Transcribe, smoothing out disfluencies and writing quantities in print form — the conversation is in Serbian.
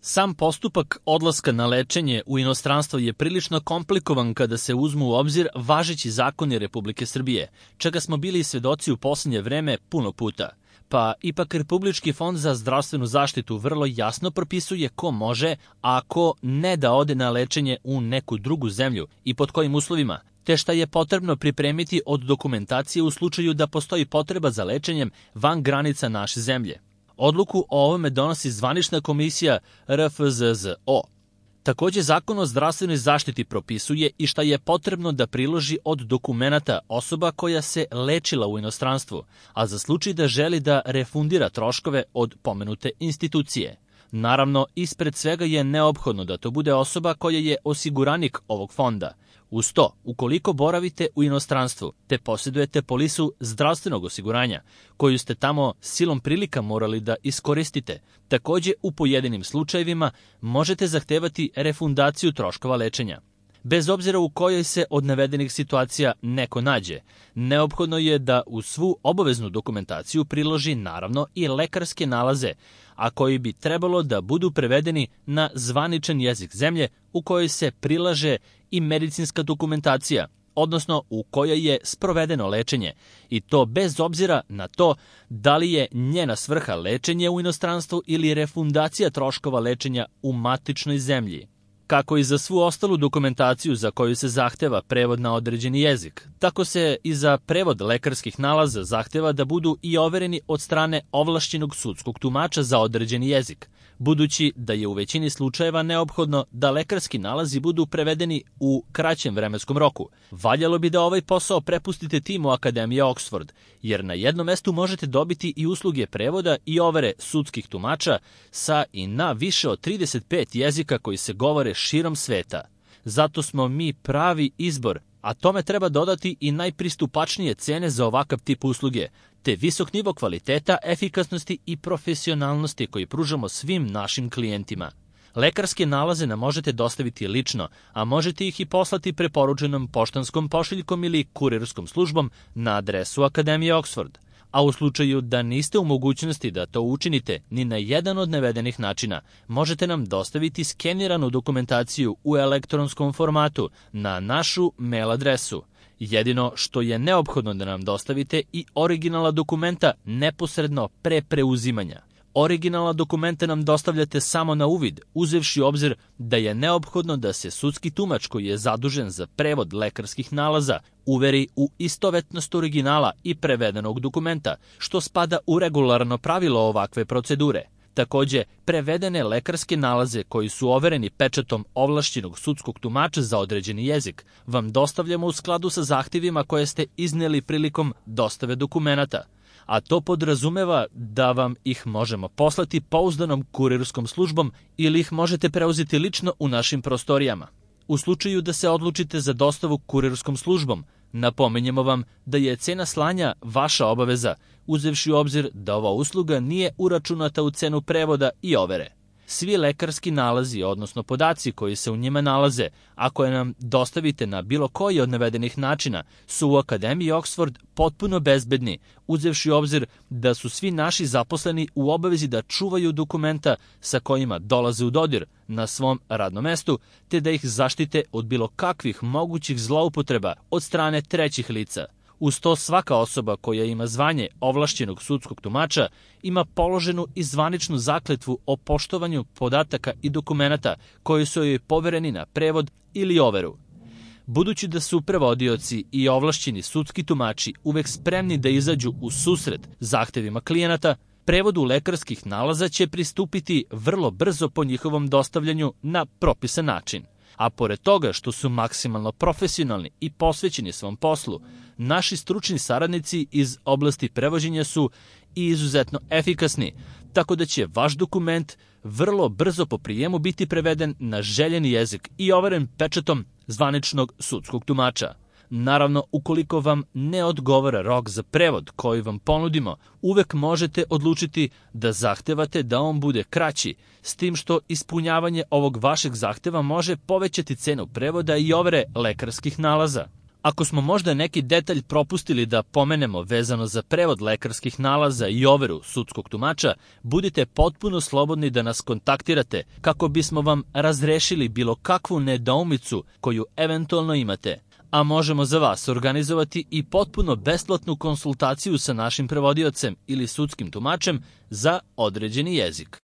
Sam postupak odlaska na lečenje u inostranstvo je prilično komplikovan kada se uzmu u obzir važeći zakoni Republike Srbije, čega smo bili svedoci u poslednje vreme puno puta. Pa ipak Republički fond za zdravstvenu zaštitu vrlo jasno propisuje ko može, a ko ne da ode na lečenje u neku drugu zemlju i pod kojim uslovima, te šta je potrebno pripremiti od dokumentacije u slučaju da postoji potreba za lečenjem van granica naše zemlje. Odluku o ovome donosi zvanična komisija RFZZO. Takođe, Zakon o zdravstvenoj zaštiti propisuje i šta je potrebno da priloži od dokumenata osoba koja se lečila u inostranstvu, a za slučaj da želi da refundira troškove od pomenute institucije. Naravno, ispred svega je neophodno da to bude osoba koja je osiguranik ovog fonda. Uz to, ukoliko boravite u inostranstvu te posjedujete polisu zdravstvenog osiguranja, koju ste tamo silom prilika morali da iskoristite, takođe u pojedinim slučajevima možete zahtevati refundaciju troškova lečenja. Bez obzira u kojoj se od navedenih situacija neko nađe, neophodno je da u svu obaveznu dokumentaciju priloži naravno i lekarske nalaze, a koji bi trebalo da budu prevedeni na zvaničan jezik zemlje u kojoj se prilaže i medicinska dokumentacija, odnosno u kojoj je sprovedeno lečenje, i to bez obzira na to da li je njena svrha lečenje u inostranstvu ili refundacija troškova lečenja u matičnoj zemlji. Kako i za svu ostalu dokumentaciju za koju se zahteva prevod na određeni jezik, tako se i za prevod lekarskih nalaza zahteva da budu i overeni od strane ovlašćenog sudskog tumača za određeni jezik, budući da je u većini slučajeva neophodno da lekarski nalazi budu prevedeni u kraćem vremenskom roku. Valjalo bi da ovaj posao prepustite timu Akademije Oxford, jer na jednom mestu možete dobiti i usluge prevoda i overe sudskih tumača sa i na više od 35 jezika koji se govore širom sveta. Zato smo mi pravi izbor, a tome treba dodati i najpristupačnije cene za ovakav tip usluge, te visok nivo kvaliteta, efikasnosti i profesionalnosti koji pružamo svim našim klijentima. Lekarske nalaze nam možete dostaviti lično, a možete ih i poslati preporučenom poštanskom pošiljkom ili kurirskom službom na adresu Akademije Oxford. A u slučaju da niste u mogućnosti da to učinite ni na jedan od navedenih načina, možete nam dostaviti skeniranu dokumentaciju u elektronskom formatu na našu mail adresu. Jedino što je neophodno da nam dostavite i originala dokumenta neposredno pre preuzimanja. Originalna dokumenta nam dostavljate samo na uvid, uzevši u obzir da je neophodno da se sudski tumač koji je zadužen za prevod lekarskih nalaza uveri u istovetnost originala i prevedenog dokumenta, što spada u regularno pravilo ovakve procedure. Takođe, prevedene lekarske nalaze koji su overeni pečatom ovlašćenog sudskog tumača za određeni jezik vam dostavljamo u skladu sa zahtevima koje ste izneli prilikom dostave dokumenata, a to podrazumeva da vam ih možemo poslati pouzdanom kurirskom službom ili ih možete preuzeti lično u našim prostorijama. U slučaju da se odlučite za dostavu kurirskom službom, napominjemo vam da je cena slanja vaša obaveza, uzevši u obzir da ova usluga nije uračunata u cenu prevoda i overe. Svi lekarski nalazi, odnosno podaci koji se u njima nalaze, a koje nam dostavite na bilo koji od navedenih načina, su u Akademiji Oxford potpuno bezbedni, uzevši u obzir da su svi naši zaposleni u obavezi da čuvaju dokumenta sa kojima dolaze u dodir na svom radnom mestu, te da ih zaštite od bilo kakvih mogućih zloupotreba od strane trećih lica. Uz to, svaka osoba koja ima zvanje ovlašćenog sudskog tumača ima položenu i zvaničnu zakletvu o poštovanju podataka i dokumenata koji su joj povereni na prevod ili overu. Budući da su prevodioci i ovlašćeni sudski tumači uvek spremni da izađu u susret zahtevima klijenata, prevodu lekarskih nalaza će pristupiti vrlo brzo po njihovom dostavljanju na propisan način. A pored toga što su maksimalno profesionalni i posvećeni svom poslu, naši stručni saradnici iz oblasti prevođenja su i izuzetno efikasni, tako da će vaš dokument vrlo brzo po prijemu biti preveden na željeni jezik i overen pečatom zvaničnog sudskog tumača. Naravno, ukoliko vam ne odgovara rok za prevod koji vam ponudimo, uvek možete odlučiti da zahtevate da on bude kraći, s tim što ispunjavanje ovog vašeg zahteva može povećati cenu prevoda i overe lekarskih nalaza. Ako smo možda neki detalj propustili da pomenemo vezano za prevod lekarskih nalaza i overu sudskog tumača, budite potpuno slobodni da nas kontaktirate kako bismo vam razrešili bilo kakvu nedoumicu koju eventualno imate. A možemo za vas organizovati i potpuno besplatnu konsultaciju sa našim prevodiocem ili sudskim tumačem za određeni jezik.